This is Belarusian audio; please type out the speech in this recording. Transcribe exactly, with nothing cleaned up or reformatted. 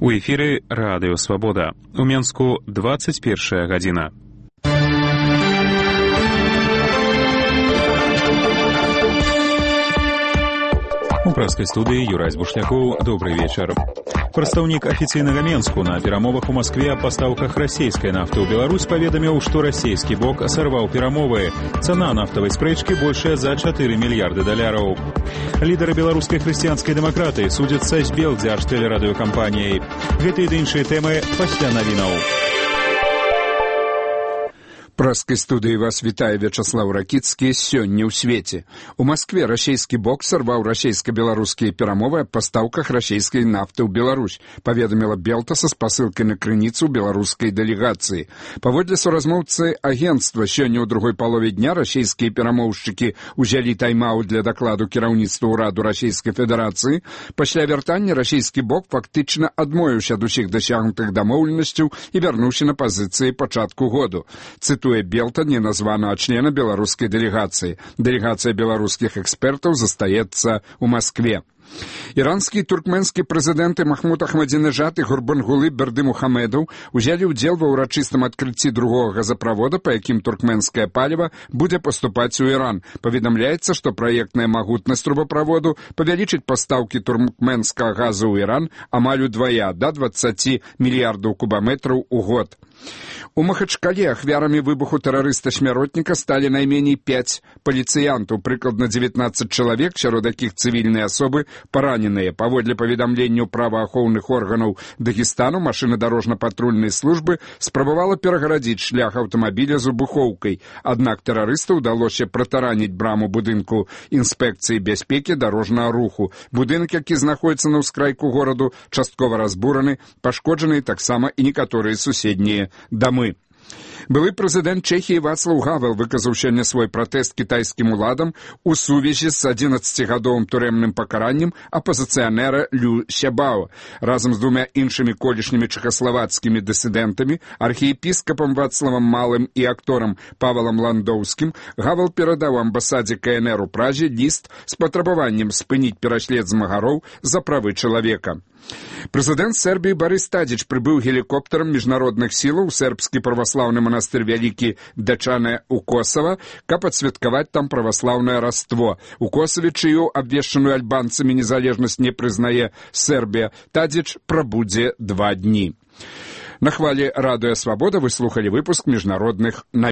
У эфіры Радыё Свабода. У Менску двадцать першая гадзіна. У праскай студыі Юрай Бушлякоў. Добрый вечар. Прадстаўнік афіцыйнага Менску на перамовах у Маскве аб пастаўках расійскай нафты ў Беларусь паведаміў, што расійскі бок сарваў перамовы. Цана нафтавай спрэчкі большая за чатыры мільярды даляраў. Лідары беларускай хрысціянскай дэмакратыі судзяцца з Белдзяж-тэлерадыёкампаніяй. Гэтыя ды іншыя тэмы пасля навінаў. Праскай студыі вас вітае Вячаслаў Ракіцкі. Сёння ў свеце. У Маскве расійскі бок сарваў расійска-беларускія перамовы аб пастаўках расійскай нафты ў Беларусь, паведаміла Белта са спасылкай на крыніцу беларускай дэлегацыі. Паводле суразмоўцы агенцтва, сёння ў другой палове дня расійскія перамоўшчыкі ўзялі тайм-аут для дакладу кіраўніцтва ўраду Расійскай Федэрацыі. Пасля вяртання расійскі бок фактычна адмовіўся ад усіх дасягнутых дамоўленасцяў і вярнуўся на пазіцыі пачатку году. Цытую Белта, не названага члена беларускай дэлегацыі. Дэлегацыя беларускіх экспертаў застаецца ў Маскве. Іранскі і туркменскі прэзідэнты Махмуд Ахмадзінежад і Гурбангулы Бердымухамедаў узялі ўдзел ва ўрачыстым адкрыцці другога газаправода, па якім туркменскае паліва будзе паступаць у Іран. Паведамляецца, што праектная магутнасць трубаправоду павялічыць пастаўкі туркменскага газу ў Іран амаль удвая, да дваццаці мільярдаў кубаметраў у год. У Махачкале ахвярамі выбуху тэрарыста-смяротніка сталі найменей пяць паліцыянтаў, прыкладна дзевятнаццаць чалавек, сярод якіх цывільныя асобы параненыя. Паводле паведамленняў праваахоўных органаў Дагестану, машына дарожна-патрульнай службы спрабавала перагарадзіць шлях аўтамабіля з выбухоўкай. Аднак тэрарысту ўдалося пратараніць браму будынку інспекцыі бяспекі дарожнага руху. Будынак, які знаходзіцца на ўскрайку гораду, часткова разбураны, пашкоджаны таксама і некаторыя суседнія дамы. Былы прэзідэнт Чэхіі Вацлаў Гавел выказаў сёння свой пратэст кітайскім уладам у сувязі з адзінаццацігадовым турэмным пакараннем апазіцыянера Лю Сябао. Разам з двумя іншымі колішнімі чэхаславацкімі дысідэнтамі, архіепіскапам Вацлавам Малым і акторам Павалам Ландоўскім, Гавел перадаў амбасадзе ка эн эр у Празі ліст з патрабаваннем спыніць пераслед змагароў за правы чалавека. Прэзідэнт Сербіі Барыс Тадзіч прыбыў гелікоптарам міжнародных сілаў у сербскі праваслаўны манастыр Вялікі Дачане ў Косава, каб адсвяткаваць там праваслаўнае раство. У Косаве, чыю абвешчаную альбанцамі незалежнасць не прызнае Сербія, Тадзіч прабудзе два дні. На хвалі Радыё Свабода вы слухалі выпуск міжнародных навін.